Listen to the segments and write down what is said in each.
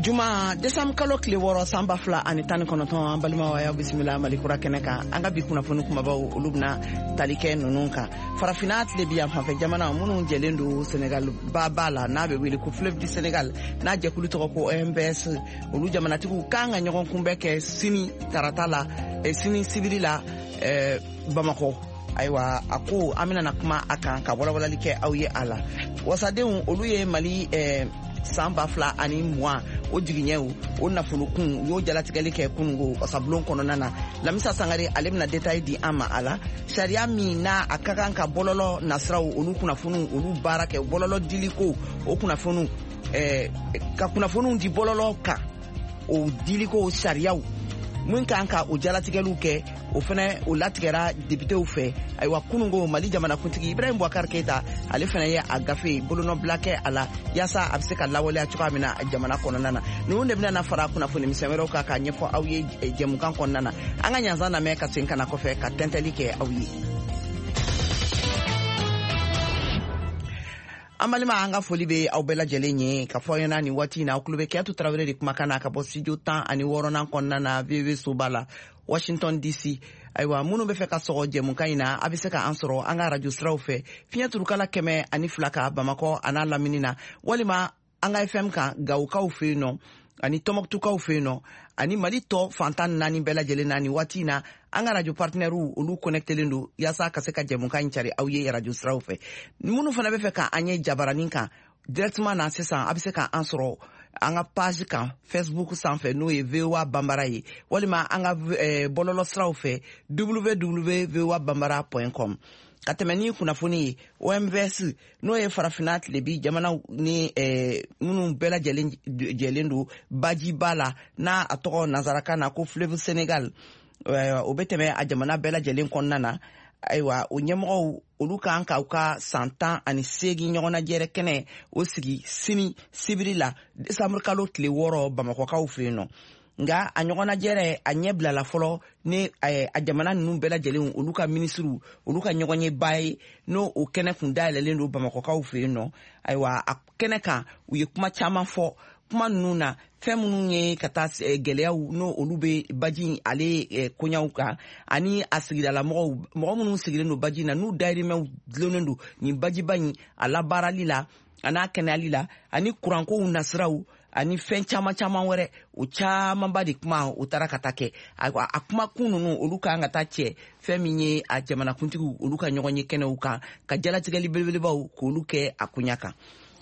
Juma, desanburu kalo tile 6, san 2019, an balimaw, a y'aw bisimila Mali Kura kɛnɛ kan. An ka bi kunnafoni kumabaw, olu bɛna tali kɛ ninnu kan: Farafinna tile bi yan fanfɛ jamana minnu jɛlen don Senegal ba la, n'a bɛ wele ko Fleuve du Sénégal, n'a jɛkulu tɔgɔ ko OMVS, olu jamanatigiw kan ka ɲɔgɔn kunbɛn kɛ sini tarata la, sini sibiri la, Bamakɔ. Ayiwa, a ko an bɛna kuma a kan ka walawalali kɛ aw ye a la. Wasadenw, olu ye Mali san 2020, o jigiɲɛw, o nafolokun, u y'o jalatigɛli kɛ kunungo wasabulon kɔnɔna na. Lamisa Sangare, ale bɛna détail di an ma a la. Sariya min n'a a ka kan ka bɔlɔlɔ nasiraw, olu kunnafoniw, olu baara kɛ, bɔlɔlɔ diliko, o kunnafoniw, ka kunnafoniw di bɔlɔlɔ kan, o diliko sariyaw min kan ka o jalatigɛliw kɛ, o fɛnɛ o latigɛra depitew fɛ. Ayiwa, kunungo Mali jamanakuntigi Ibrahim Boubacar Keita, ale fɛnɛ ye a gafe bolonɔbila kɛ a la, yaasa a bɛ se ka lawaleya cogoya min na jamana kɔnɔna na. Ninnu de bɛna fara kunnafoni misɛn wɛrɛw kan k'a ɲɛfɔ aw ye jɛmukan kɔnɔna na. An ka ɲansan lamɛn ka segin ka na kɔfɛ ka tɛntɛli kɛ aw ye. An balima, an ka foli bɛ aw bɛɛ lajɛlen ye ka fɔ aw ɲɛna nin waati in na, aw tulo bɛ Kɛyatu Tarawele de kumakan na ka bɔ studio 16nan kɔnɔna na, VOA soba la, Washington DC. Ayiwa, minnu bɛ fɛ ka sɔgɔ jɛmukan in na, a bɛ se ka an sɔrɔ an ka radio siraw fɛ, fiɲɛ turukala 102 ka Bamakɔ a n'a lamini na, walima an ka FM kan Gawokaw fɛ yen nɔ ani Tɔnbɔkutukaw fɛ yen nɔ ani Mali tɔ fantan naani bɛɛ lajɛlen na. Nin waati in na, an ka radio partenaires, olu connectelen don yaasa ka se ka jɛmukan in cari aw ye radio siraw fɛ. Minnu fana bɛ fɛ ka an ye jabaranin kan directement na sisan, a bɛ se ka an sɔrɔ an ka page kan Facebook sanfɛ, n'o ye VOA Banbara ye, walima an ka bɔlɔlɔ siraw fɛ, www.voabambara.com. Ka tɛmɛ ni kunnafoni ye, OMVS, n'o ye Farafinna tilebi jamanaw ni minnu bɛɛ lajɛlen jɛlen don bajiba la, n'a a tɔgɔ nansarakan na ko Fleuve Sénégal, o bɛ tɛmɛ a jamana bɛɛ lajɛlen kɔnɔna na. Ayiwa, o ɲɛmɔgɔw, olu kan ka u ka san 18 ɲɔgɔnnajɛrɛ kɛnɛ o sigi sini sibiri la, desanburu kalo tile 6, Bamakɔkaw fɛ yen nɔ. Nka a ɲɔgɔnnajɛrɛ, a ɲɛ bilala fɔlɔ ni a jamana ninnu bɛɛ lajɛlen, olu ka minisiriw, olu ka ɲɔgɔnyeba ye, n'o o kɛnɛ kun dayɛlɛlen don Bamakɔkaw fɛ yen nɔ. Ayiwa, a kɛnɛ kan, u ye kuma caman fɔ. Kuma ninnu na, fɛn minnu ye ka taa gɛlɛyaw n'o olu bɛ baji ale koɲaw kan, ani a sigidalamɔgɔw, mɔgɔ minnu sigilen don baji na, n'u dayirimɛw dulonnen don nin bajiba in a labaarali la a n'a kɛnɛyali la, ani kurankow nasiraw, ani fɛn caman caman wɛrɛ, o camanba de kuma o taara ka taa kɛ. A kumakun ninnu, olu kan ka taa cɛ fɛn min ye a jamanakuntigiw, olu ka ɲɔgɔn ye kɛnɛw kan ka jalatigɛli belebelebaw k'olu kɛ a koɲa kan.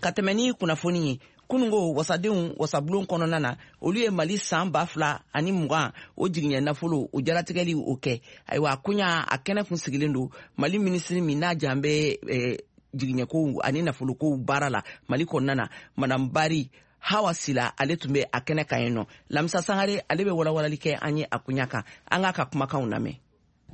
Ka tɛmɛ ni kunnafoni ye, kunungo wasadenw wasabulon kɔnɔna na, olu ye Mali san 2020, o jigiɲɛ nafolo, o jalatigɛli o kɛ. Ayiwa, a koɲa a kɛnɛ kun sigilen don Mali minisiri min n'a jan bɛ jigiɲɛkow ani nafolokow baara la Mali kɔnɔna na, Madame Bari Hawa Sila, ale tun bɛ a kɛnɛ kan yen nɔ. Lamisa Sangare, ale bɛ walawalali kɛ an ye a koɲa kan. An k'a ka kumakanw lamɛn.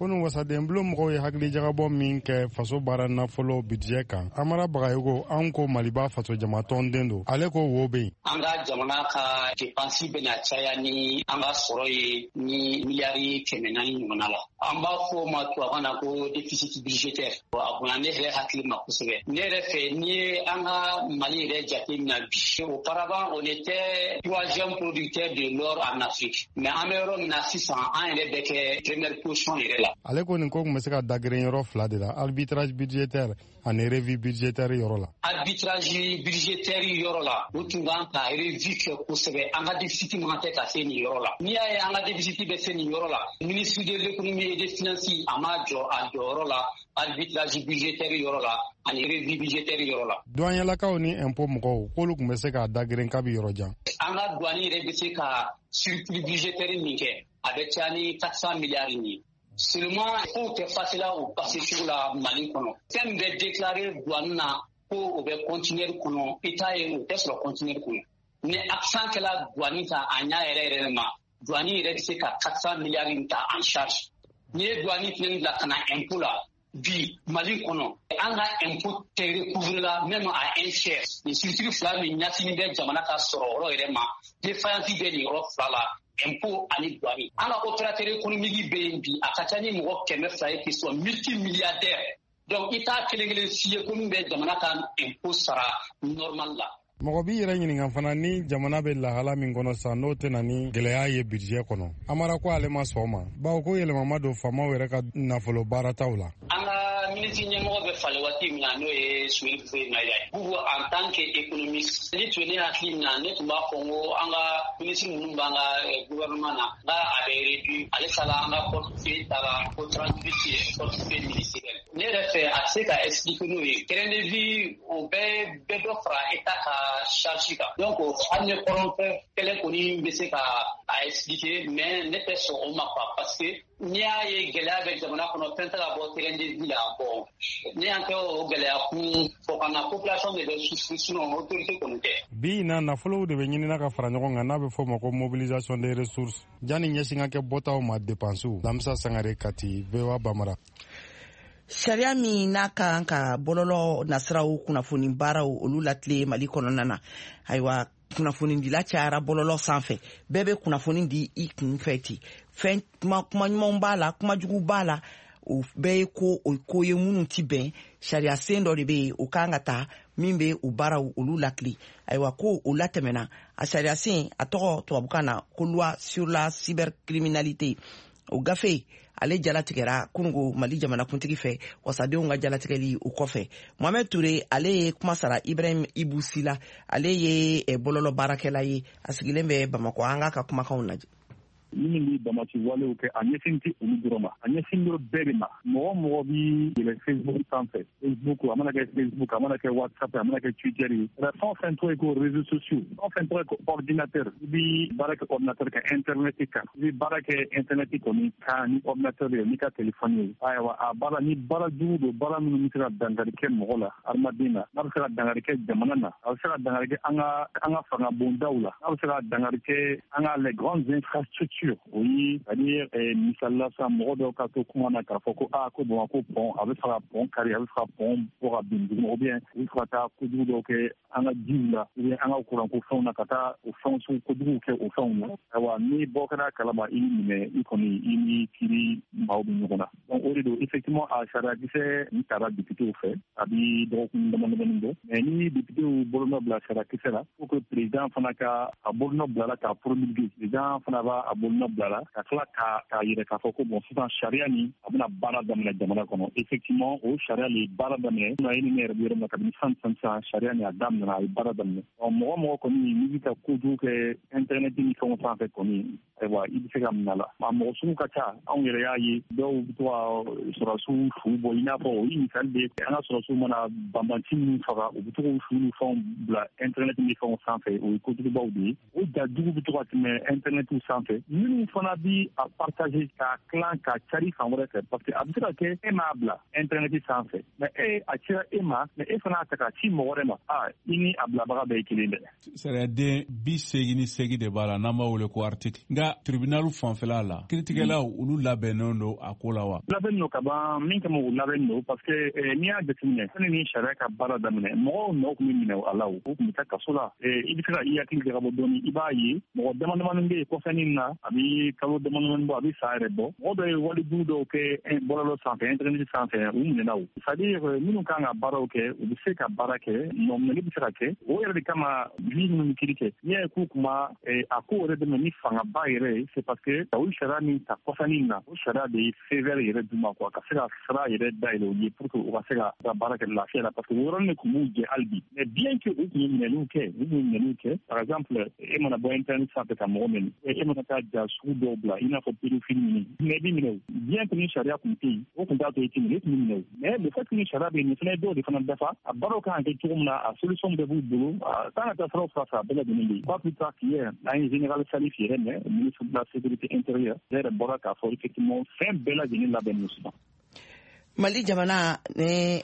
Kunu, wasadenbulon mɔgɔw ye hakilijagabɔ min kɛ faso baara nafolo budget kan, Amara Bagayogo, an ko Maliba faso jamatɔnden don, ale ko wo bɛ yen. An ka jamana ka dépense bɛna caya ni an ka sɔrɔ ye ni miliyari 400 ɲɔgɔnna la. An b'a fɔ o ma tubabukan na ko déficit budgétaire. A bonya ne yɛrɛ hakili ma kosɛbɛ. Ne yɛrɛ fɛ, n'i ye an ka Mali yɛrɛ jate minɛ bi, auparavant on était troisième producteur de l'or en Afrique, mais an bɛ yɔrɔ min na sisan, an yɛrɛ bɛ kɛ première position yɛrɛ la. Ale ko nin ko tun bɛ se ka dagirin yɔrɔ fila de la: arbitrage budgétaire ani revue budgétaire yɔrɔ la. Arbitrage budgétaire yɔrɔ la, u tun kan ka revue kɛ kosɛbɛ. An ka déficit man tɛ ka se nin yɔrɔ la. N'i y'a ye an ka déficit bɛ se nin yɔrɔ la, ministre de l'Économie et des Finances, a ma jɔ a jɔyɔrɔ la arbitrage budgétaire yɔrɔ la ani revue budgétaire yɔrɔ la. Douanelakaw ni impôt mɔgɔw, k'olu tun bɛ se k'a dagirin kabi yɔrɔ jan. An ka douane yɛrɛ bɛ se ka surplus budgétaire min kɛ, a bɛ caya ni 400 milliards ye. Seulement, kow tɛ passer la o passer cogo la Mali kɔnɔ. Fɛn min bɛ déclarer douane na ko o bɛ conteneur kɔnɔ, i t'a ye, o tɛ sɔrɔ conteneur kɔnɔ. Ni accent kɛla douane kan a ɲa yɛrɛ yɛrɛ ma, douane yɛrɛ bɛ se ka 400 milliards in ta en charge. N'i ye douane fɛnɛ bila ka na impôt la, bi Mali kɔnɔ, an ka impôt tɛ recouvrer la même à un tiers. Nin structure fila min ɲɛsinnen bɛ jamana ka sɔrɔ yɔrɔ yɛrɛ ma, défaillance bɛ nin yɔrɔ fila la, impôt ani douane. An ka opérateur économique bɛ yen bi, a ka ca ni mɔgɔ 200 ye qui sont multimilliardaires. Donc i t'a kelen kelen si ye ko min bɛ jamana ka impôt sara normal la. Mɔgɔ b'i yɛrɛ ɲininka fana ni jamana bɛ lahala min kɔnɔ sisan, n'o tɛna ni gɛlɛya ye budget kɔnɔ. Amara ko ale ma sɔn ma, bawo ko yɛlɛma ma don faamaw yɛrɛ ka nafolo baarataw la. An ka minisiri ɲɛmɔgɔ bɛ falen waati min na, n'o ye Soumeylou Boubèye Maïga ye, Boubou, en tant que économiste, ni tun ye ne hakili min na, ne tun b'a fɔ n ko an ka minisiri ninnu b'an ka gouvernement na, n ka a bɛ réduit. Ale sala an ka portefeuille taara ko 38 portefeuille ministériel. Ne yɛrɛ fɛ, a tɛ se ka expliquer n'o ye. Train de vie, o bɛɛ bɛ dɔ fara État ka charge kan. Donc hali ni kɔrɔnfɛ kɛlɛ kɔni bɛ se ka a expliquer, mais ne tɛ sɔn o ma quoi, parce que n'i y'a ye gɛlɛya bɛ jamana kɔnɔ, fɛn tɛ ka bɔ train de vie la. Bon, ne y'an kɛ o gɛlɛya kun fɔ ka na, population de bɛ souffrir, sinon autorité kɔni tɛ. Bi in na, nafolow de bɛ ɲinina ka fara ɲɔgɔn kan, n'a bɛ fɔ o ma ko mobilisation des ressources, janni ɲɛsin ka kɛ bɔtaw ma, dépenses. Lamisa Sangare, Kati, VOA Bambara. Sariya min n'a ka kan ka bɔlɔlɔ nasiraw kunnafoni baaraw olu latile Mali kɔnɔna na, ayiwa, kunnafonidila cayara bɔlɔlɔ sanfɛ. Bɛɛ bɛ kunnafoni di i kun fɛ ten. Fɛn kuma, kuma ɲumanw b'a la, kuma jugu b'a la, o bɛɛ ye ko o ko ye minnu ti bɛn. Sariya sen dɔ de bɛ yen, o kan ka ta min bɛ o baaraw olu lakile. Ayiwa, ko o latɛmɛna. A sariya sen, a tɔgɔ tubabukan na ko loi sur la cybercriminalité. O gafe ale jalatigɛra kunungo Mali jamanakuntigi fɛ, wasadenw ka jalatigɛli o kɔfɛ. Mohamɛd Ture, ale ye kuma sara Ibrahim Ibu Sila, ale ye bɔlɔlɔ baarakɛla ye, a sigilen bɛ Bamakɔ. An k'a ka kumakanw lajɛ. Minnu bɛ banbaanci walew kɛ, a ɲɛsin tɛ olu dɔrɔn ma, a ɲɛsin dɔrɔn bɛɛ de ma. Mɔgɔ mɔgɔ bi yɛlɛ Facebook sanfɛ, Facebook, a mana kɛ Facebook, a mana kɛ WhatsApp, a mana kɛ Twitter ye, fɛn o fɛn tɔgɔ ye ko réseaux sociaux, fɛn o fɛn tɔgɔ ye ko ordinateur, i bi baara kɛ ordinateur kan, internet kan, i bi baara kɛ internet kɔni kan ni ordinateur ye, n'i ka téléphone ye. Ayiwa, a baara ni baara jugu don, baara minnu bɛ se ka dankari kɛ mɔgɔ la, hadamaden na, n'a bɛ se ka dankari kɛ jamana na, a bɛ se ka dankari kɛ an ka fanga bondaw la, n'a bɛ se ka dankari kɛ an ka les grandes infrastructures. O ye, c'est à dire, misali la sisan, mɔgɔ dɔw ka to kuma na k'a fɔ ko aa, ko Bamakɔ pont, a bɛ fɛ ka pont kari, a bɛ fɛ ka pont bɔ ka bin duguma, ou bien u bɛ fɛ ka taa kojugu dɔw kɛ an ka jiw la, ou bien an ka kuranko fɛnw na, ka taa o fɛnw sugu kojuguw kɛ o fɛnw na. Ayiwa, ni bɔ kɛra kalama, i minɛ, i kɔni, i ni kiiri maaw bɛ ɲɔgɔn na. Donc o de don, effectivement, a sariyakisɛ nin taara députéw fɛ, a bi dɔgɔkun dama damani bɔ. Mais ni députéw bolonɔ bila sariyakisɛ la, faut que président fana ka a bolonɔ bila la k'a promulguer. Président fana b'a a bolonɔ bila la ka tila k'a yɛrɛ k'a fɔ ko bon, sisan sariya nin, a bɛna baara daminɛ jamana kɔnɔ. Effectivement, o sariya le ye baara daminɛ. E ni ne yɛrɛ bɛ yɔrɔ min na, kabini san san sisan, sariya nin a daminɛna, a ye baara daminɛ. Ɔ, mɔgɔ mɔgɔ kɔni n'i bɛ ka kojugu kɛ internet ni fɛnw sanfɛ kɔni, ayiwa, i bɛ se ka minɛ a la. A mɔgɔ sugu ka ca. Anw yɛrɛ y'a ye, dɔw bɛ to ka sɔrɔdasiw fu bɔ, i n'a fɔ o ye misali de ye. An ka sɔrɔdasiw mana banbanci minnu faga, u bɛ to k'u fu ni fɛnw bila internet ni fɛnw sanfɛ. O ye kojugubaw de ye. O ja jugu bɛ to ka tɛmɛ internet sanfɛ. Minnu fana bi a partager, k'a tilan, k'a cari fan wɛrɛ fɛ, parce que a bɛ se ka kɛ e m'a bila internet sanfɛ, mais e a cira e ma, mais e fana y'a ta k'a ci mɔgɔ wɛrɛ ma, a i ni a bilabaga bɛɛ ye kelen dɛ. Sariyaden 88 de b'a la, n'an b'a wele ko article. Nka tribunal fanfɛla la, kiiritigɛlaw olu labɛnnen don a ko la wa? Labɛnnen don ka ban. Min kama u labɛnnen don, parce que n'i y'a jateminɛ, sani ni sariya ka baara daminɛ, mɔgɔw nɔ tun bɛ minɛ a la, o tun bɛ taa kaso la. I bɛ se ka i hakili jagabɔ dɔɔni, i b'a ye mɔgɔ dama damani bɛ yen kɔfɛnin na, a bɛ kalo dama damani bɔ, a bɛ san yɛrɛ bɔ, mɔgɔ dɔ ye walejugu dɔw kɛ bɔlɔlɔ sanfɛ, internet sanfɛ, u minɛna. O c'est à dire, minnu kan ka baaraw kɛ, u bɛ se ka baara kɛ, nɔminɛli bɛ se ka kɛ. O yɛrɛ de kama, juge minnu bɛ kiiri kɛ, n'i y'a ye k'u kuma a ko yɛrɛ dɛmɛ ni fangaba yɛrɛ ye, c'est parce que o sariya min ta kɔfɛnin na, o sariya de ye feu vert yɛrɛ d'u ma quoi, ka se ka sira yɛrɛ dayɛlɛ u ye pour que u ka se ka baara kɛ lafiya la, parce que o yɔrɔnin de tun b'u jɛ hali bi. Mais bien que u tun ye minɛliw kɛ, u tun ye minɛliw kɛ, par exemple, e mana bɔ internet sanfɛ ka mɔgɔ minɛ, e mana taa ja sugu dɔw bila, i n'a fɔ pédophile ninnu, mais i b'i minɛ. O bien que ni sariya tun tɛ yen, o tun t'a to i tɛ minɛ, e tun bɛ minɛ. O mais le fait que ni sariya bɛ yen, nin fana ye dɔw de fana dafa. A baaraw kan ka kɛ cogo min na, a solution bɛɛ b'u bolo, a kan ka taa siraw fila fɛ, a bɛɛ lajɛlen bɛ yen. Pas plus tard qu'hier, an ye général Salif yɛrɛ mɛn, ministre de la Sécurité intérieure, ale yɛrɛ bɔra k'a fɔ effectivement fɛn bɛɛ lajɛlen labɛnnen sisan. Mali jamana ni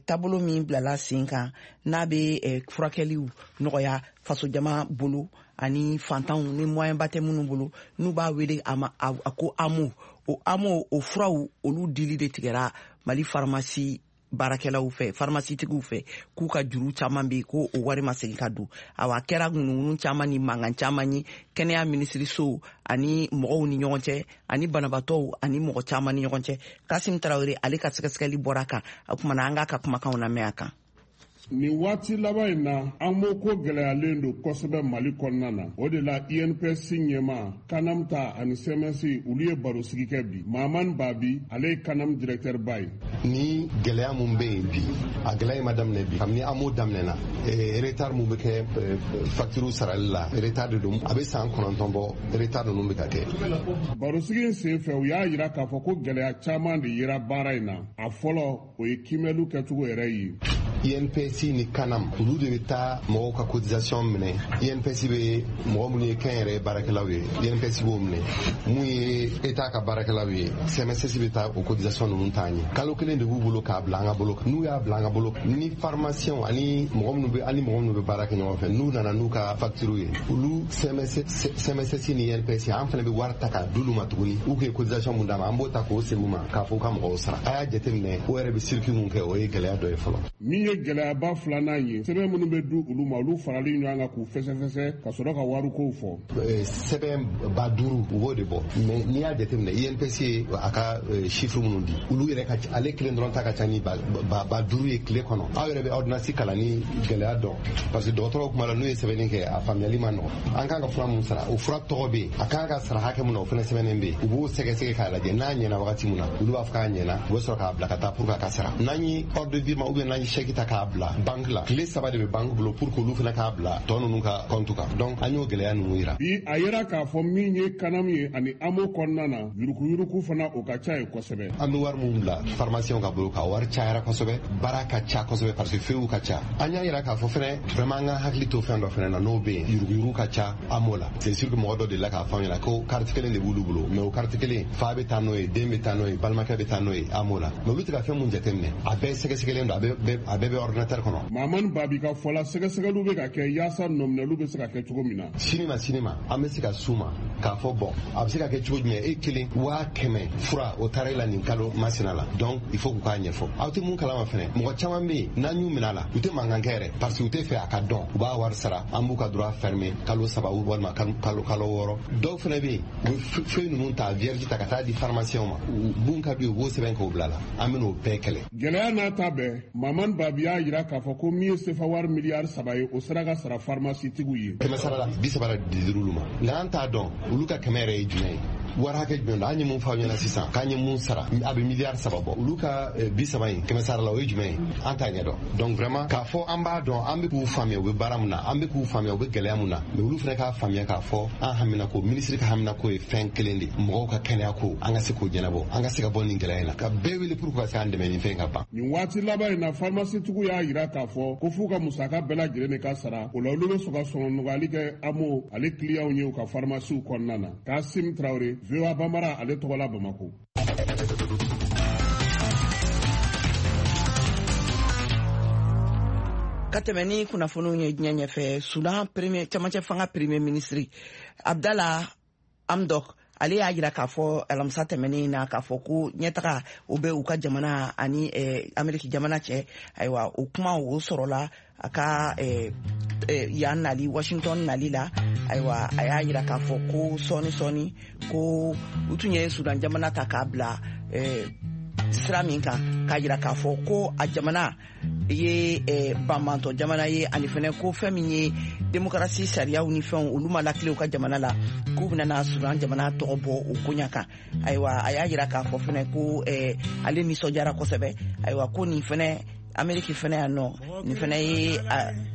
taabolo min bilala sen kan, n'a bɛ furakɛliw nɔgɔya fasojama bolo ani fantanw ni moyen ba tɛ minnu bolo, n'u b'a wele a ma a ko AMO, o AMO, o furaw olu dili de tigɛra Mali faramasi baarakɛlaw fɛ, faramasitigiw fɛ, k'u ka juru caman bɛ yen, ko o wari ma segin ka don. Awa, a kɛra ŋunuŋunu caman ni mankan caman ye kɛnɛya minisiriso ani mɔgɔw ni ɲɔgɔn cɛ, ani banabaatɔw ani mɔgɔ caman ni ɲɔgɔn cɛ. Kasim Tarawele, ale ka sɛgɛsɛgɛli bɔra a kan. O kumana, an k'a ka kumakanw lamɛn a kan. Nin waati laban in na, AMO ko gɛlɛyalen don kosɛbɛ Mali kɔnɔna na. O de la, INPS ɲɛmaa, Kanam ta ani CMS, olu ye barosigi kɛ bi. Mahamani Babi, ale ye Kanam directeur ba ye. Ni gɛlɛya mun bɛ yen bi, a gɛlɛya in ma daminɛ bi. Kabini AMO daminɛna, retard mun bɛ kɛ facture sarali la, retard de don. A bɛ san 9 bɔ, retard ninnu bɛ ka kɛ. Barosigi in senfɛ, u y'a jira k'a fɔ ko gɛlɛya caman de yera baara in na. A fɔlɔ, o ye kiimɛliw kɛcogo yɛrɛ ye. INPS ni Kanam, olu de bɛ taa mɔgɔw ka cotisation minɛ. INPS bɛ mɔgɔ minnu ye kɛnyɛrɛye baarakɛlaw ye, INPS b'o minɛ. Mun ye État ka baarakɛlaw ye, CMSS bɛ taa o cotisation ninnu t'an ye. Kalo kelen de b'u bolo k'a bila an ka bolo kan. N'u y'a bila an ka bolo kan, ni pharmacien ani mɔgɔ minnu bɛ ani mɔgɔ minnu bɛ baara kɛ ɲɔgɔn fɛ, n'u nana n'u ka facture ye, olu CMSS ni INPS, an fana bɛ wari ta k'a d'olu ma tuguni. U ye cotisation mun d'a ma, an b'o ta k'o segin u ma k'a fɔ u ka mɔgɔw sara. A y'a jateminɛ, o yɛrɛ bɛ circuit mun kɛ, o ye gɛlɛya dɔ ye fɔlɔ. Min ye gɛlɛyaba filanan ye, sɛbɛn minnu bɛ di olu ma, olu farali ɲɔgɔn kan k'u fɛsɛfɛsɛ ka sɔrɔ ka warikow fɔ. Sɛbɛn 5000, u b'o de bɔ. Mais n'i y'a jateminɛ, INPS ye a ka chiffre minnu di, olu yɛrɛ ka ale kelen dɔrɔn ta ka ca ni 5000 ye tile kɔnɔ. Aw yɛrɛ bɛ ordonnance kalan ni gɛlɛya dɔn, parce que dɔgɔtɔrɔw kuma la, n'u ye sɛbɛnni kɛ, a faamuyali ma nɔgɔn. An kan ka fura mun sara, o fura tɔgɔ bɛ yen, a kan ka sara hakɛ mun na, o fana sɛbɛnnen bɛ yen. U b'o sɛgɛsɛgɛ k'a lajɛ, n'a ɲɛna wagati mun na, olu b'a fɔ k'a ɲɛna, u bɛ sɔrɔ k'a bila ka taa pour que a ka sara. N'an ye ordre de virement ou bien n'an ye chèque ta k'a bila banque la, tile 3 de bɛ banque bolo pour que olu fana k'a bila tɔ ninnu ka compte kan. Donc an y'o gɛlɛya ninnu yira. Bi, a yera k'a fɔ min ye Kanam ye ani AMO kɔnɔna na, yuruguyurugu fana, o ka ca ye kosɛbɛ. An bɛ wari mun bila pharmacien ka bolo kan, wari cayara kosɛbɛ, baara ka ca kosɛbɛ, parce que feuilles ka ca. An y'a yira k'a fɔ fɛnɛ, vraiment, an ka hakili to fɛn dɔ fɛnɛ na, n'o bɛ yen, yuruguyurugu ka ca AMO la. C'est sûr que mɔgɔ dɔ delila k'a fɔ an ɲɛna ko carte kelen de b'olu bolo, mais o carte kelen, fa bɛ taa n'o ye, den bɛ taa n'o ye, balimakɛ bɛ taa n'o ye AMO la. Mais olu tɛ ka fɛn mun jateminɛ, a bɛɛ sɛgɛsɛgɛlen don, a bɛɛ bɛ ordinateur kɔnɔ. Mamani Babi ka fɔ la, sɛgɛsɛgɛliw bɛ ka kɛ yaasa nɔminɛliw bɛ se ka kɛ cogo min na. Sini ma, sini ma, an bɛ se ka s'u ma k'a fɔ bɔn, a bɛ se ka kɛ cogo jumɛn, e kelen 100 000 fura o taara e la nin kalo masina la? Donc il faut k'u k'a ɲɛfɔ. Aw tɛ mun kalama fɛnɛ, mɔgɔ caman bɛ yen, n'an y'u minɛ a la, u tɛ mankan kɛ yɛrɛ, parce que u tɛ fɛ a ka dɔn. U b'a wari sara, an b'u ka droit fermer kalo 3 walima kalo 6. Dɔw fɛnɛ bɛ yen, u bɛ feuille ninnu ta, vierge ta ka taa di pharmacien ma, mun ka d'u ye, u b'o sɛbɛn k'o bila la. An bɛ n'o bɛɛ kɛlɛ. Gɛlɛya n'a ta bɛɛ, Mamani Babi y'a jira k'a fɔ ko min ye sefa wari miliyari 3 ye, o sera ka sara pharmacie tigiw ye. Kɛmɛ sara la, 30 de dir'olu ma, nka an t'a dɔn olu ka 100 yɛrɛ ye jumɛn ye, wari hakɛ jumɛn don. An ye mun fɔ aw ɲɛna sisan k'an ye mun sara, a bɛ miliyari 3 bɔ. Olu ka 30 in, kɛmɛ sara la, o ye jumɛn ye, an t'a ɲɛdɔn. Donc vraiment, k'a fɔ an b'a dɔn, an bɛ k'u faamuya u bɛ baara mun na, an bɛ k'u faamuya u bɛ gɛlɛya mun na, mais olu fana k'a faamuya k'a fɔ an hamina ko, minisiri ka hamina ko ye fɛn kelen de, mɔgɔw ka kɛnɛya ko, an ka se k'o ɲɛnabɔ, an ka se ka bɔ nin gɛlɛya in na, ka bɛɛ wele pour que ka se k'an dɛmɛ nin fɛn ka ban. Nin waati laban in na, pharmacie tigiw y'a jira k'a fɔ ko f'u ka musaka bɛɛ lajɛlen de ka sara. O la, olu bɛ sɔn ka sɔngɔ nɔgɔyali kɛ AMO ale kiliyanw ye u ka pharmacie kɔnɔna na. Kasim Tarawele, VOA Bambara ale tɔgɔ la, Bamako. Ka tɛmɛ ni kunnafoniw ye diɲɛ ɲɛfɛ, Sudan premier, camancɛ fanga premier ministre Abdala Hamdok, ale y'a jira k'a fɔ alamisa tɛmɛnen na k'a fɔ ko ɲɛtaga o bɛ u ka jamana ani Ameriki jamana cɛ. Ayiwa, o kuma o sɔrɔla a ka yan nali, Washington nali la. Ayiwa, a y'a jira k'a fɔ ko sɔɔni sɔɔni ko u tun ye Sudan jamana ta k'a bila sira min kan, k'a jira k'a fɔ ko a jamana ye banbantɔ jamana ye, ani fɛnɛ ko fɛn min ye demokarasi sariyaw ni fɛnw, olu ma lakile u ka jamana la, k'u bɛna Sudan jamana tɔgɔ bɔ o koɲa kan. Ayiwa, a y'a jira k'a fɔ fɛnɛ ko ale nisɔndiyara kosɛbɛ. Ayiwa, ko nin fɛnɛ, Ameriki fɛnɛ yan nɔ, nin fɛnɛ ye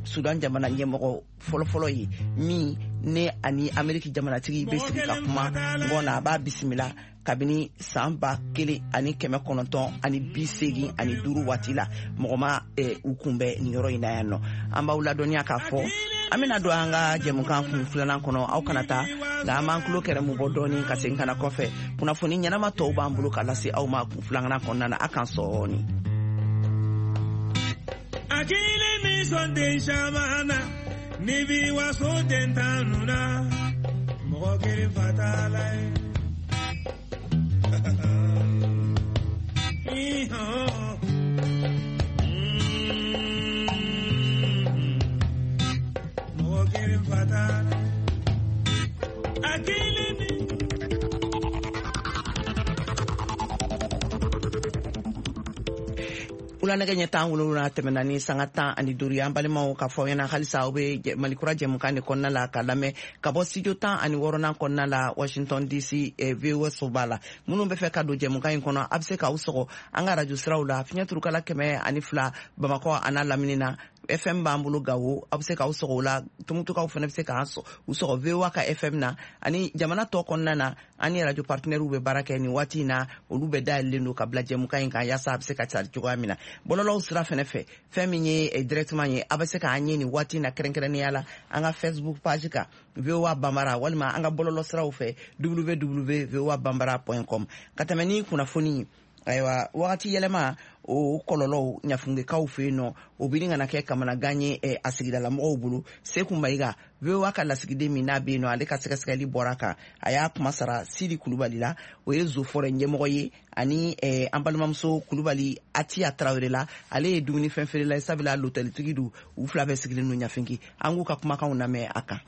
Sudan jamana ɲɛmɔgɔ fɔlɔfɔlɔ ye min ne ani Ameriki jamanatigi bɛ sigi ka kuma ɲɔgɔn na, a b'a bisimila kabini san 1985 waati la, mɔgɔ ma u kunbɛn nin yɔrɔ in na yan nɔ. An b'aw ladɔnniya k'a fɔ an bɛna don an ka jɛmukan kun filanan kɔnɔ. Aw kana taa, nka an b'an tulo kɛrɛmu bɔ dɔɔni ka segin ka na kɔfɛ. Kunnafoni ɲɛnama tɔw b'an bolo ka lase aw ma kun filanan kɔnɔna na. A kan sɔɔni. Akili min sɔn den caman na, ni bi waso den tan na, mɔgɔ kelen fa t'a la ye. Mɔgɔ kelen fa t'a la. Akili min. Wula nɛgɛ ɲɛ 17 tɛmɛna ni sanga 15 ye. An balimaw, k'a fɔ aw ɲɛna halisa aw bɛ Malikura jɛmukan de kɔnɔna la ka lamɛn ka bɔ studio 16nan kɔnɔna la, Washington DC, VOA soba la. Minnu bɛ fɛ ka don jɛmukan in kɔnɔ, a bɛ se k'aw sɔgɔ an ka radio siraw la: fiɲɛ turukala 102 Bamakɔ a n'a lamini na, FM b'an bolo Gawo, aw bɛ se k'aw sɔgɔ o la. Tumutukaw fana bɛ se k'an u sɔgɔ VOA ka FM na. Ani jamana tɔ kɔnɔna na, an ni radio partenaires bɛ baara kɛ nin waati in na, olu bɛɛ dayɛlɛlen don ka bila jɛmukan in kan yaasa a bɛ se ka cari cogoya min na. Bɔlɔlɔw sira fɛnɛ fɛ, fɛn min ye directement ye, a bɛ se k'an ye nin waati in na, kɛrɛnkɛrɛnnenya la an ka Facebook page kan, VOA Bambara, walima an ka bɔlɔlɔ siraw fɛ, www voabambara.com. Ka tɛmɛ ni kunnafoni ye, ayiwa, wagati yɛlɛma o kɔlɔlɔw Ɲafungekaw fɛ yen nɔ, o bɛ kana kɛ kamanagan ye a sigidalamɔgɔw bolo. Seku Mayiga, VOA ka lasigiden min n'a bɛ yen nɔ, ale ka sɛgɛsɛgɛli bɔra kan. A y'a kuma sara Sidi Kulubali la, o ye zofɔrɛ ɲɛmɔgɔ ye, ani an balimamuso Kulubali Atiya Tarawele la, ale ye dumunifɛn feerela ye, sabula lotɛlitigi don. U fila bɛɛ sigilen don Ɲafinki. An k'u ka kumakanw lamɛn a kan.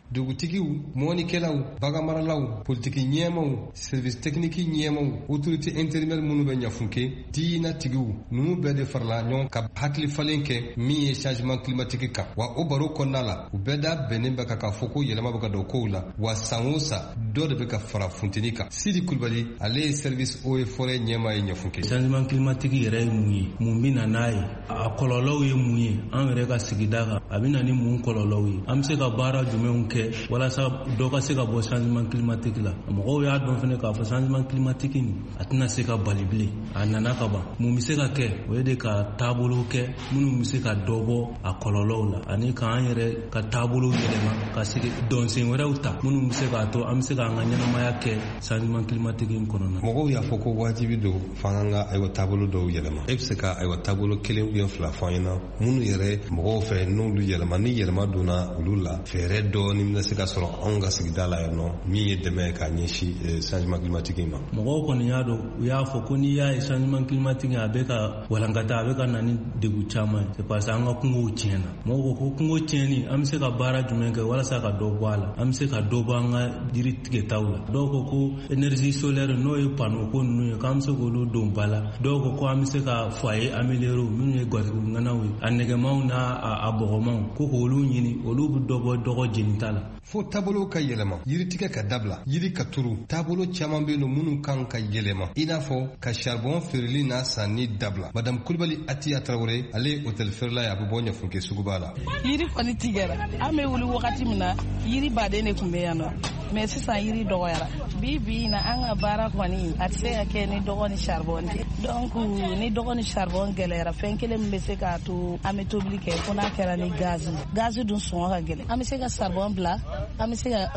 Dugutigiw, mɔnikɛlaw, baganmaralaw, politiki ɲɛmaw, service technique ɲɛmaw, autorité intérimaire minnu bɛ Ɲafunke, diinatigiw, ninnu bɛɛ de farala ɲɔgɔn ka hakili falen kɛ min ye changement climatique kan. Wa o baro kɔnɔna la, u bɛɛ da bɛnnen bɛ kan k'a fɔ ko yɛlɛma bɛ ka don kow la, wa san o san dɔ de bɛ ka fara funteni kan. Sidi Kulubali, ale ye service eaux et forêt ɲɛmaa ye Ɲafunke. Changement climatique yɛrɛ ye mun ye? Mun bɛ na n'a ye? A kɔlɔlɔw ye mun ye an yɛrɛ ka sigida kan? A bɛ na ni mun kɔlɔlɔw ye? An bɛ se ka baara jumɛnw kɛ walasa dɔ ka se ka bɔ changement climatique la? Mɔgɔw y'a dɔn fɛnɛ k'a fɔ changement climatique nin, a tɛna se ka bali bilen, a nana ka ban. Mun bɛ se ka kɛ? O ye de ka taabolo kɛ minnu bɛ se ka dɔ bɔ a kɔlɔlɔw la, ani k'an yɛrɛ ka taabolo yɛlɛma, ka se dɔnsen wɛrɛw ta minnu bɛ se k'a to an bɛ se k'an ka ɲɛnamaya kɛ changement climatique in kɔnɔna. Mɔgɔw y'a fɔ ko wajibi don f'an k'an ka, ayiwa, taabolo dɔw yɛlɛma. E bɛ se ka, ayiwa, taabolo kelen ou bien fila fɔ an ɲɛna minnu yɛrɛ mɔgɔw fɛ, n'olu yɛlɛma, ni yɛlɛma donna olu la, fɛɛrɛ dɔɔni bɛna se ka sɔrɔ anw ka sigida la yan nɔ, min ye dɛmɛ ye k'a ɲɛsin changement climatique ma? Mɔgɔw kɔni y'a dɔn, u y'a fɔ ko n'i y'a ye changement climatique a bɛ ka walankata, a bɛ ka na ni degun caman ye, c'est parce que an ka kungow tiɲɛna. Mɔgɔw ko ko kungo tiɲɛni, an bɛ se ka baara jumɛn kɛ walasa ka dɔ bɔ a la? An bɛ se ka dɔ bɔ an ka jiri tigɛtaw la. Dɔw ko ko énergie solaire, n'o ye panneau ko ninnu ye, k'an bɛ se k'olu don ba la. Dɔw ko ko an bɛ se ka foyer amélioré, minnu ye gatigi ŋanaw ye, a nɛgɛmanw n'a a bɔgɔmanw, ko k'olu ɲini, olu bɛ dɔ bɔ dɔgɔ jenita la. Fo taabolo ka yɛlɛma, yiritigɛ ka dabila, yiri ka turu. Taabolo caman bɛ yen nɔ minnu kan ka yɛlɛma, i n'a fɔ ka charbon feereli n'a sanni dabila. Madame Kulibali Atiya Tarawele, ale ye hôtel feerela ye, a bɛ bɔ Ɲafunke suguba la. Yiri kɔni tigɛra. An bɛ wuli wagati min na, yiri baden de tun bɛ yan nɔ, mais sisan yiri dɔgɔyara. Bi bi in na, an ka baara kɔni a tɛ se ka kɛ ni dɔgɔ ni charbon tɛ. Donc ni dɔgɔ ni charbon gɛlɛyara, fɛn kelen min bɛ se k'a to an bɛ tobili kɛ, fo n'a kɛra ni gazi. Gazi dun sɔngɔ ka gɛlɛn. An bɛ se ka charbon bila, an bɛ se ka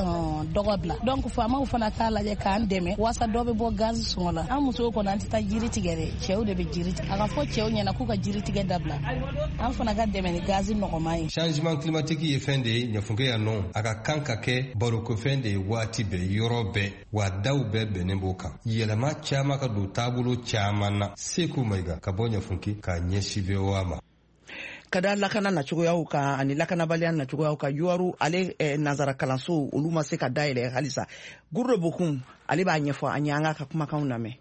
dɔgɔ bila. Donc faamaw fana k'a lajɛ k'an dɛmɛ walasa dɔ bɛ bɔ gazi sɔngɔ la. An musow kɔni, an tɛ taa jiri tigɛ dɛ, cɛw de bɛ jiri tigɛ. A ka fɔ cɛw ɲɛna k'u ka jiri tigɛ dabila, an fana ka dɛmɛ ni gazi nɔgɔman ye. Changement climatique ye fɛn de ye Ɲafunke yan nɔ, a ka kan ka kɛ barokofɛn de ye waati bɛɛ, yɔrɔ bɛɛ, wa daw bɛɛ bɛnnen b'o kan. Yɛlɛma caman ka don taabolo caman na. Seku Mayiga ka bɔ Ɲafunke k'a ɲɛsin VOA ma. Ka da lakana nacogoyaw kan ani lakanabaliya nacogoyaw kan, Yuwaru ale nansara kalanso, olu ma se ka dayɛlɛ halisa. Gurudo Bokun, ale b'a ɲɛfɔ an ye. An k'a ka kumakanw lamɛn.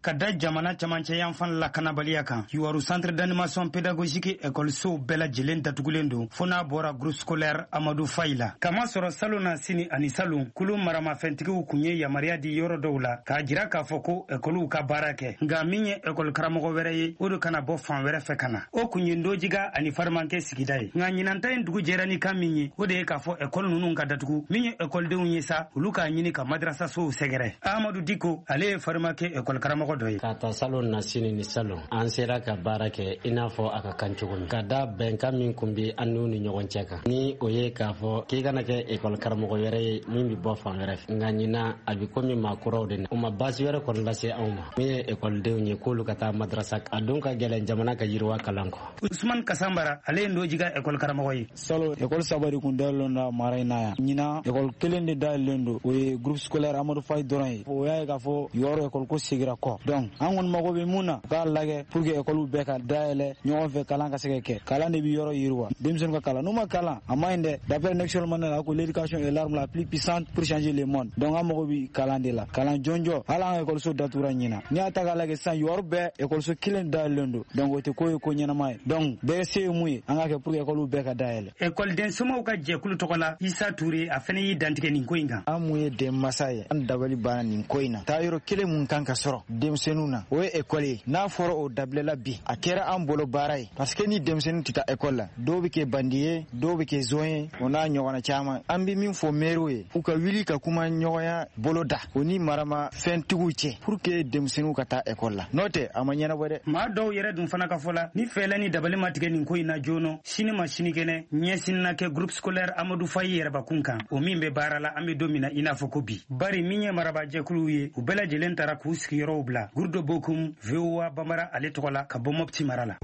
Ka da jamana camancɛ yanfan lakanabaliya kan, Yuwaru centre d'animation pédagogique ekɔlisow bɛɛ lajɛlen datugulen don, fo n'a bɔra groupe scolaire Amadu Fayi la. Kamasɔrɔ salon na sini ani salon, kulu maramafɛntigiw kun ye yamaruya di yɔrɔ dɔw la k'a jira k'a fɔ ko ekɔliw ka baara kɛ, nka min ye ekɔli karamɔgɔ wɛrɛ ye, o de kana bɔ fan wɛrɛ fɛ ka na. O kun ye Ndojiga ani Farimankɛ sigida ye. Nka ɲinanta in dugu jɛra ni kan min ye, o de ye k'a fɔ ekɔli ninnu ka datugu. Min ye ekɔlidenw ye sa, olu k'a ɲini ka madrasasow sɛgɛrɛ. Ahamadu Diko, ale ye Farimakɛ ekɔli karamɔgɔ dɔ ye. K'a ta salon na sini ni salon, an sera ka baara kɛ i n'a fɔ a ka kan cogo min, ka da bɛnkan min kun bi an n'u ni ɲɔgɔn cɛ kan, ni o ye k'a fɔ k'i kana kɛ ekɔli karamɔgɔ wɛrɛ ye min bi bɔ fan wɛrɛ fɛ. Nka ɲina, a bi komi maa kuraw de na, u ma baasi wɛrɛ kɔni lase anw ma. Min ye ekɔlidenw ye, k'olu ka taa madrasa, a don ka gɛlɛn jamana ka yiriwa kalan kɔ. Usman Kasambara, ale ye Ndojiga ekɔli karamɔgɔ ye. Salon, ekɔli saba de kun dayɛlɛlen don mara in na yan. Ɲinan, ekɔli kelen de dayɛlɛlen don, o ye groupe scolaire Amadu Fayi dɔrɔn ye. O y'a ye k'a fɔ yɔrɔ ekɔli ko segira kɔ. sɔrɔ. Donc an kɔni mago bɛ mun na, u k'a lajɛ pour que ekɔliw bɛɛ ka dayɛlɛ ɲɔgɔn fɛ, kalan ka se ka kɛ. Kalan de bɛ yɔrɔ yiriwa, denmisɛnninw ka kalan, n'u ma kalan a man ɲi dɛ. D'après Nelson Mandela ko l'éducation est l'arme la plus puissante pour changer le monde. Donc an mago bɛ kalan de la, kalan jɔnjɔ. Hali an ka ekɔliso datugura ɲina, n'i y'a ta k'a lajɛ sisan, yɔrɔ bɛɛ ekɔliso kelen dayɛlɛlen don. Donc o tɛ ko ye ko ɲɛnama ye. Donc bɛɛ se ye mun ye, an k'a kɛ pour que ekɔliw bɛɛ ka dayɛlɛ. Ekɔliden somaw ka jɛkulu tɔgɔ la, Isa Ture, a fɛnɛ y'i dantigɛ nin ko in kan. An mun ye denmasa ye, an dabali banna nin ko in na. Taa yɔrɔ kelen mun kan ka sɔrɔ denmisɛnninw na, o ye ekɔli ye. N'a fɔra o dabilala bi, a kɛra an bolo baara ye, parce que ni denmisɛnnin tɛ taa ekɔli la, dɔw bɛ kɛ bandi ye, dɔw bɛ kɛ zon ye, o n'a ɲɔgɔnna caman. An bɛ min fɔ mɛriw ye, u ka wuli ka kuma ɲɔgɔnya bolo da o ni marama fɛntigiw cɛ pour que denmisɛnninw ka taa ekɔli la, n'o tɛ a ma ɲɛnabɔ dɛ. Maa dɔw yɛrɛ dun fana ka fɔ la, ni fɛɛlɛ ni dabali ma tigɛ nin ko in na joona, sini ma sinikɛnɛ ɲɛsin na kɛ groupe scolaire Amadou Faye yɛrɛbakun kan, o min bɛ baara la an bɛ don min na i n'a fɔ ko bi. Bari min ye marabajɛkuluw ye, u bɛɛ lajɛlen taara k'u sigiyɔrɔw bila. Gurdo Bokum, VOA Bambara ale tɔgɔ la, ka bɔ Mopti mara la.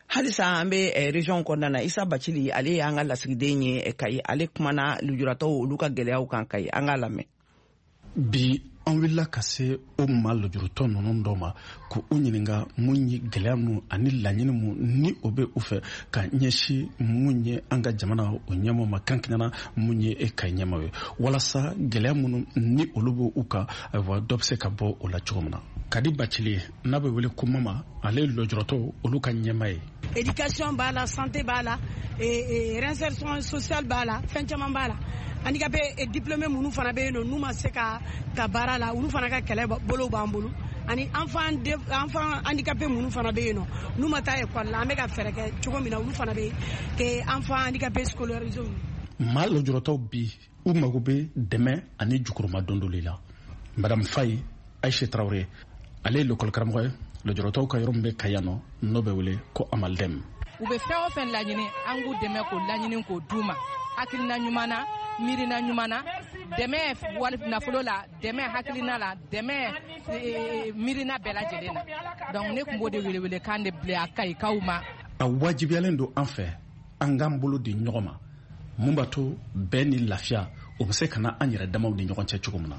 Halisa an bɛ region kɔnɔna na. Isa Bacili, ale y'an ka lasigiden ye Kayi, ale kumana lujuratɔw olu ka gɛlɛyaw kan Kayi. An k'a lamɛn. Bi an wulila ka se o maa lujuratɔ ninnu dɔ ma k'u ɲininka mun ye gɛlɛya mun ani laɲini mun ni o bɛ u fɛ ka ɲɛsin mun ye an ka jamana o ɲɛmɔgɔ ma, kankɛnɛna mun ye e ka ɲɛmɔgɔ ye, walasa gɛlɛya minnu ni olu bɛ u kan, ayiwa dɔ bɛ se ka bɔ o la cogo min na. Kadi Bacili, n'a bɛ wele ko Mama, ale ye lujuratɔw olu ka ɲɛmaa ye. Éducation b'a la, santé b'a la, réinsertion sociale b'a la, fɛn caman b'a la. Handicapé et diplômé minnu fana bɛ yen nɔ, n'u ma se ka ta baara la, olu fana ka kɛlɛ bolo b'an bolo. Ani enfant handicapé minnu fana bɛ yen nɔ, n'u ma taa école la, an bɛ ka fɛɛrɛ kɛ cogo min na olu fana bɛ kɛ enfant handicapé scolarisé. Maa lujuratɔw bi u mago bɛ dɛmɛ ani jukuruma dondoli la. Madame Faye Aïcha Traoré, ale ye lekɔli karamɔgɔ ye lujuratɔw ka yɔrɔ min bɛ Kayi yan nɔ, n'o bɛ wele ko Amaldem. U bɛ fɛn o fɛn laɲini, an k'u dɛmɛ k'o laɲini k'o d'u ma, hakilina ɲuman na, miirina ɲuman na, dɛmɛ wali nafolo la, dɛmɛ hakilina la, dɛmɛ miirina bɛɛ lajɛlen na. Donc ne tun b'o de welewele kan de bila a Kayikaw ma. A wajibiyalen don an fɛ an k'an bolo di ɲɔgɔn ma, mun b'a to bɛn ni lafiya o bɛ se ka na an yɛrɛ damaw ni ɲɔgɔn cɛ cogo min na.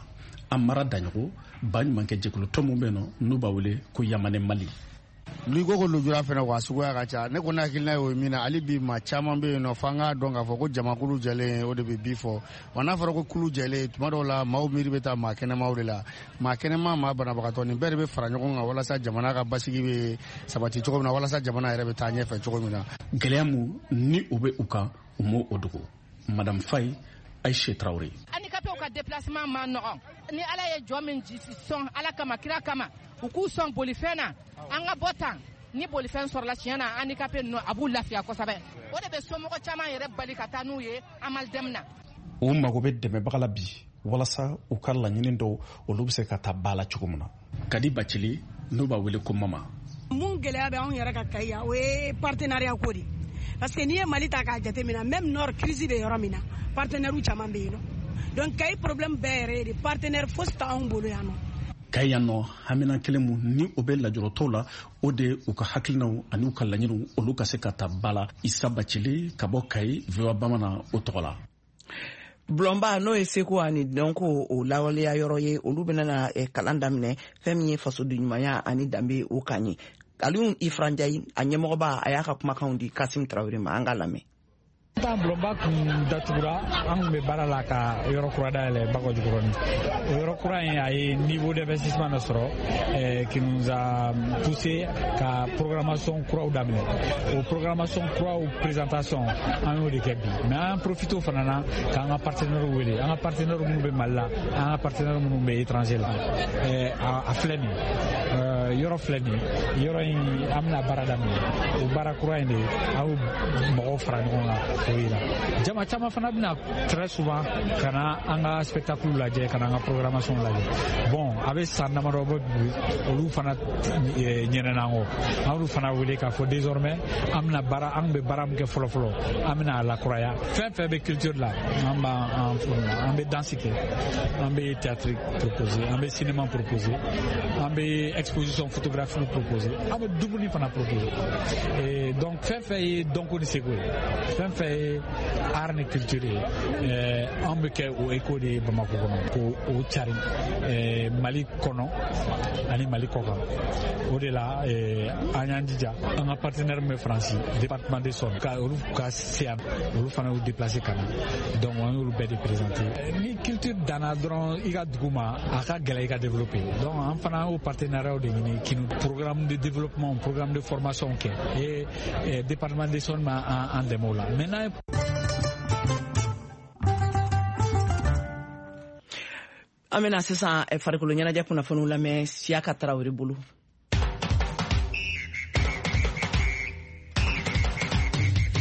An mara daɲɔgɔn baɲumankɛ jɛkulu tɔn min bɛ yen nɔ, n'u b'a wele ko Yamane Mali. N'i ko ko lujura fɛnɛ wa suguya ka ca, ne kɔni hakilina ye o ye min na, hali bi maa caman bɛ yen nɔ, f'an k'a dɔn k'a fɔ ko jamakulu jɛlen o de bɛ bi fɔ. Wa n'a fɔra ko kulu jɛlen, tuma dɔw la maaw miiri bɛ taa maa kɛnɛmaw de la. Maa kɛnɛma, maa banabagatɔ, nin bɛɛ de bɛ fara ɲɔgɔn kan walasa jamana ka basigi bɛ sabati cogo min na, walasa jamana yɛrɛ bɛ taa ɲɛfɛ cogo min na. Gɛlɛya mun ni o bɛ u kan, u m'o o dogo. Madame Faye Aïcha Traoré. Handicapéw ka déplacement ma nɔgɔn. Ni Ala ye jɔ min sɔn, Ala kama, kira kama, u k'u sɔn bolifɛn na, an ka bɔ tan. Ni bolifɛn sɔrɔla tiɲɛ na, handicapé ninnu a b'u lafiya kosɛbɛ. O de bɛ somɔgɔ caman yɛrɛ bali ka taa n'u ye Amaldem na. U mago bɛ dɛmɛbaga la bi walasa u ka laɲini dɔw olu bɛ se ka taa ba la cogo min na. Kadi Bacili, n'u b'a wele ko Mama. Mun gɛlɛya bɛ anw yɛrɛ ka Kayi yan, o ye partenariat ko de. Parce que n'i ye Mali ta k'a jateminɛ, même nord crise bɛ yɔrɔ min na, partenaire caman bɛ yen nɔ. Donc Kayi problème bɛɛ yɛrɛ ye de partenaire fosi t'anw bolo yan nɔ. Kayi yan nɔ, hamina kelen mun ni o bɛ lajuratɔw la, o de u ka hakilinaw ani u ka laɲiniw olu ka se ka ta ba la. Isa Bacili ka bɔ Kayi, VOA Bamanan o tɔgɔ la. Bulonba n'o ye seko ani dɔnko o lawaleya yɔrɔ ye, olu bɛna na kalan daminɛ fɛn min ye fasoden ɲumanya ani danbe o kan ye. Aliou Ifra Ndiaye, a ɲɛmɔgɔba, a y'a ka kumakanw di Kasim Traoré ma, an k'a lamɛn. Tan bulonba kun datugura, an kun bɛ baara la ka yɔrɔ kura dayɛlɛ Bakɔjikɔrɔni. O yɔrɔ kura in, a ye niveau d'investissement dɔ sɔrɔ qui nous a poussé ka programmation kuraw daminɛ. O programmation kuraw présentation, an y'o de kɛ bi. Mais an profite o fana na k'an ka partenaires wele, an ka partenaires minnu bɛ Mali la, an ka partenaires minnu bɛ étranger la. A filɛ nin ye, yɔrɔ filɛ nin ye, yɔrɔ in an bɛna baara daminɛ. O baara kura in de, an y'o mɔgɔw fara ɲɔgɔn kan. Jama caman fana bɛna très souvent ka na an ka spectacle lajɛ, ka na an ka programmation lajɛ. Bon, a bɛ san damadɔ bɔ bi, olu fana ɲinɛna an kɔ. An y'olu fana wele k'a fɔ désormais an bɛna baara, an bɛ baara min kɛ fɔlɔ fɔlɔ, an bɛna a lakuraya. Fɛn fɛn bɛ culture la, an b'an an bɛ danse kɛ, an bɛ théâtre proposer, an bɛ cinéma proposer, an bɛ exposition photographique proposer, an bɛ dumuni fana proposer. Et donc fɛn fɛn ye dɔnko ni seko ye, Fɛn fɛn ye art ni culture ye, an bɛ kɛ o écho de ye Bamakɔ kɔnɔ, k'o o cari Mali kɔnɔ ani Mali kɔkan. O de la an y'an jija, an ka partenaire min bɛ Faransi, département de Saône, ka olu ka se yan, olu fana y'u déplacer ka na. Donc an y'olu bɛɛ de présenter. Ni culture danna dɔrɔn i ka dugu ma, a ka gɛlɛ i ka développer. Donc an fana y'o partenariat de ɲini k'i programme de développement, programme de formation kɛ, et département de Saône ma an dɛmɛ o la. Maintenant, an bɛna sisan farikolo ɲɛnajɛ kunnafoniw lamɛn Siyaka Tarawele bolo.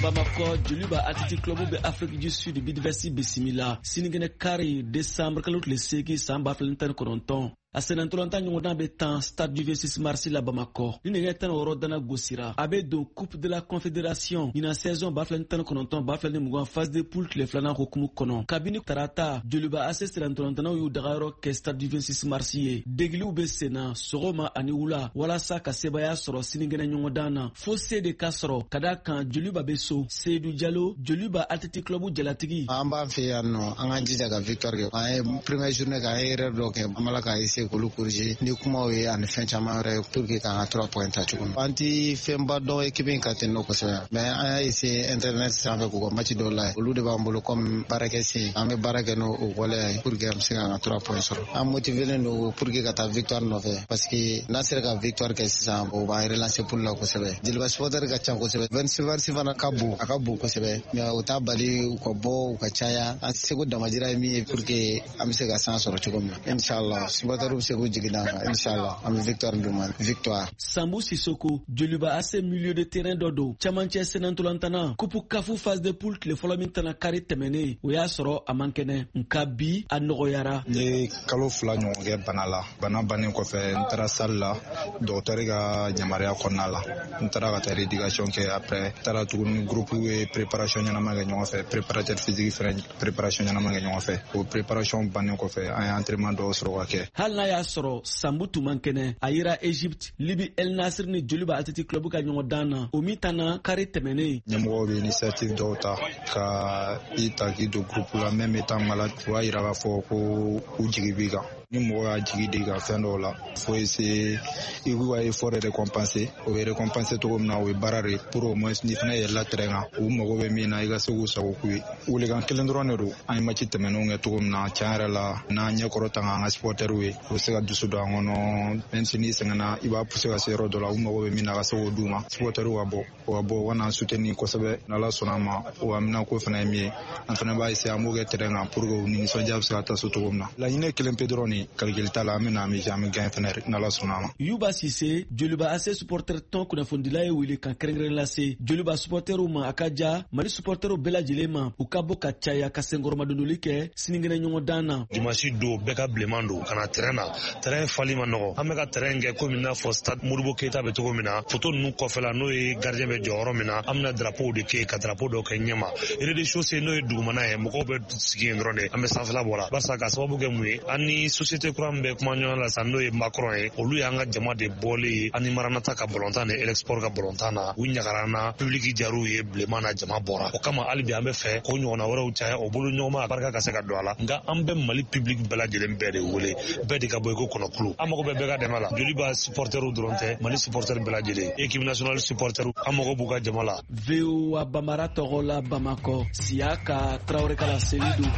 Bamakɔ, Joliba Athletic Club bɛ Afrique du Sud Bidvest bisimila sinikɛnɛ kari, décembre kalo tile 8 san 2019. A sennantolatan ɲɔgɔndan bɛ tan Stade du 26 mars la Bamakɔ. Ni nɛgɛ 16 dana gosira, a bɛ don Coupe de la Confédération ɲinan saison 2019 2020 phase de poule tile filanan hokumu kɔnɔ. Kabini tarata, Joliba AC sennantolatannaw y'u dagayɔrɔ kɛ Stade du 26 mars ye. Degiliw bɛ senna sɔgɔma ani wula walasa ka sebaaya sɔrɔ sinikɛnɛ ɲɔgɔndan na. Fo se de ka sɔrɔ ka da kan Joliba bɛ so. Seydou Diallo, Joliba Athletic Club jalatigi. An b'an fɛ yan nɔ, an k'an jija ka victoire kɛ. An ye première journée kɛ, an ye erreur dɔ kɛ, an b'a la k'a essayer k'olu corriger ni kumaw ye ani fɛn caman wɛrɛ ye pour que k'an ka 3 points ta cogo min. An ti fɛnba dɔn équipe in ka ten nɔ kosɛbɛ, mais an y'a essayer internet sanfɛ k'u ka match dɔw lajɛ. Olu de b'an bolo comme baarakɛ sen, an bɛ baara kɛ n'o waleya ye pour que an bɛ se k'an ka 3 points sɔrɔ. An motivelen don pour que ka taa victoire nɔfɛ, parce que n'an sera ka victoire kɛ sisan, o b'an relancer poule la kosɛbɛ. Joliba supporter ka ca kosɛbɛ, 26 mars fana ka bon, a ka bon kosɛbɛ, mais o t'a bali u ka bɔ, u ka caya. An seko damajira ye min ye pour que an bɛ se ka san sɔrɔ cogo min na, inshallah supporter bɛ se k'u jigi d'an kan, inshallah an bɛ victoire d'u ma, victoire. Sambu Sissoko, Joliba AC milieu de terrain dɔ don, camancɛ sennantolatan Coupe CAF phase de poule tile fɔlɔ min tana kari tɛmɛnen, o y'a sɔrɔ a man kɛnɛ, nka bi a nɔgɔyara. N ye kalo 2 ɲɔgɔn kɛ bana la. Bana bannen kɔfɛ, n taara salle la dɔgɔtɔrɔ ka yamaruya kɔnɔna la. N taara ka taa rééducation kɛ. Après, n taara tuguni, groupe ye préparation ɲɛnama kɛ ɲɔgɔn fɛ, préparateur physique fɛnɛ préparation ɲɛnama kɛ ɲɔgɔn fɛ. O préparation bannen kɔfɛ, an ye entraînement dɔw sɔrɔ ka kɛ. Hali n'a y'a sɔrɔ Sambu tun man kɛnɛ, a yera Egypte, Libi El Nasir ni Joliba Athletic Club ka ɲɔgɔn dan na, o min tanna kari tɛmɛnen. Ɲɛmɔgɔw bɛ initiative dɔw ta ka i ta k'i don groupe la, même étant malade, o b'a yira k'a fɔ ko u jigi b'i kan. Ni mɔgɔ y'a jigi di ka fɛn dɔw la, faut essayer i k'u ka effort récompenser. O bɛ récompenser cogo min na, o ye baara de ye pour au moins n'i fana yɛlɛla terrain kan, u mago bɛ min na, i ka se k'u sago k'u ye. Welekan kelen dɔrɔn de don. An ye match tɛmɛnenw kɛ cogo min na, tiɲɛ yɛrɛ la, n'an ɲɛkɔrɔ ta k'an ka supporters ye, u bɛ se ka dusu don an kɔnɔ. Même si n'i sɛgɛnna, i b'a pousser ka se yɔrɔ dɔ la, u mago bɛ min na, ka se k'o d'u ma. Supporters ka bɔ, o ka bɔ, u ka n'an soutenir kosɛbɛ. N'Ala sɔnna a ma, o amina ko fana ye min ye, an fana b'a essayer an b'o kɛ terrain kan pour que u ni nisɔndiya bɛ se ka taa so cogo min na. Laɲini kelen pe dɔrɔn de, calcul t'a la, an bɛ na, an bɛ an bɛ gagner fana, n'Ala sɔnna a ma. Yuba Sise, Joliba AC supporter tɔn kunnafonidila ye wele kan kɛrɛnkɛrɛn lase Joliba supporterw ma, a ka ja Mali supporterw bɛɛ lajɛlen ma, u ka bɔ ka caya ka senkɔrɔmadondoli kɛ sinikɛnɛ ɲɔgɔndan na. Dimanche don, bɛɛ ka bilenman don ka na terrain na. Terrain fali ma nɔgɔ. An bɛ ka terrain kɛ komi n'a fɔ stade Modibo Keyita bɛ cogo min na. Photo ninnu kɔfɛla, n'o ye gardien bɛ jɔyɔrɔ min na, an bɛna drapeau de kɛ ka drapeau dɔ kɛ ɲɛma. Rez-de-chaussée, n'o ye dugumana ye, mɔgɔw bɛ sigi yen dɔrɔn de, an bɛ sanfɛla bɔ la. Barisa ka sababu kɛ mun ye, an ni société kura min bɛ kuma ɲɔgɔn la sisan, n'o ye Macron ye, olu y'an ka jama de bɔlen ye ani Maranata ka balontan ni Elexport ka balontan na. U ɲagara an na, public jar'u ye, bilenman na jama bɔra. O kama hali bi an bɛ fɛ k'o ɲɔgɔnna wɛrɛw caya, o bolo ɲɔgɔnma barika ka se ka don a la. Nka an bɛ Mali public bɛɛ lajɛlen bɛɛ de wele, bɛɛ de ka bɔ i ko kɔnɔkulu. An mago bɛ bɛɛ ka dɛmɛ la. Joliba supporterw dɔrɔn tɛ, Mali supporter bɛɛ lajɛlen, équipe nationale supporter, an mago b'u ka jama la. VOA Bambara tɔgɔ la, Bamakɔ, Siyaka Tarawele ka laseli don.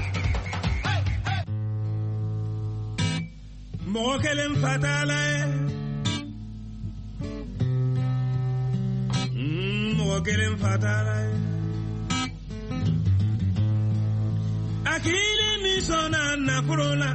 Mɔgɔ kelen fatala ye, mɔgɔ kelen fatala ye, hakili min sɔnna nafolo la,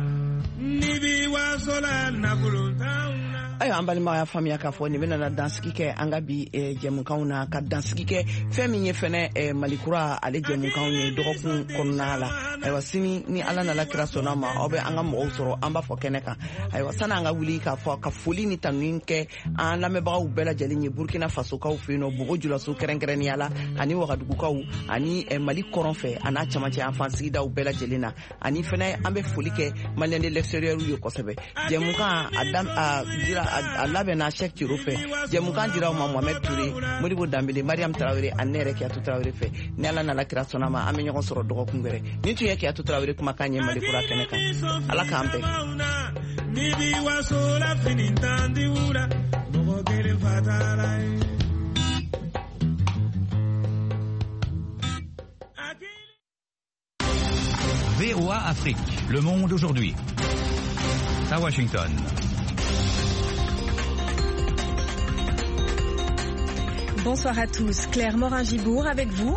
n'i b'i waso la nafolo t'anw na. Ayiwa, an balimaw y'a faamuya k'a fɔ nin bɛna dansigi kɛ an ka bi jɛmukanw na, ka dansigi kɛ fɛn min ye fɛnɛ Malikura ale jɛmukanw ye dɔgɔkun kɔnɔna la. Ayiwa, sini ni Ala nana kira sɔnna ma, aw bɛ an ka mɔgɔw sɔrɔ an b'a fɔ kɛnɛ kan. Ayiwa, sani an ka wuli k'a fɔ ka foli ni tanuni kɛ an lamɛnbagaw bɛɛ lajɛlen ye Burkina Fasokaw fɛ yen nɔ, Bobo Julaso kɛrɛnkɛrɛnnenya la, ani Wagadugukaw, ani Mali kɔrɔn fɛ a n'a camancɛ an fan sigidaw bɛɛ lajɛlen na. Ani fɛnɛ an bɛ foli kɛ Malien de l'extérieur ye kosɛbɛ. Jɛmukan a dira A labɛnna Cheick Thiero fɛ. Jɛmukan dira aw ma Mohamed Touré, Modibo Danbele, Mariam Traoré ani ne yɛrɛ Kiyatu Traoré fɛ. Ni Ala nana kira sɔnna ma, an bɛ ɲɔgɔn sɔrɔ dɔgɔkun wɛrɛ. Nin tun ye Kiyatu Traoré kumakan ye Mali kura kɛnɛ kan. Ala k'an bɛn. Ni bi waso la fini tan di wula mɔgɔ kelen fatala ye. VOA Afrique, le monde aujourd'hui. À Washington. Bonsoir à tous, Claire Morin-Gibourg avec vous.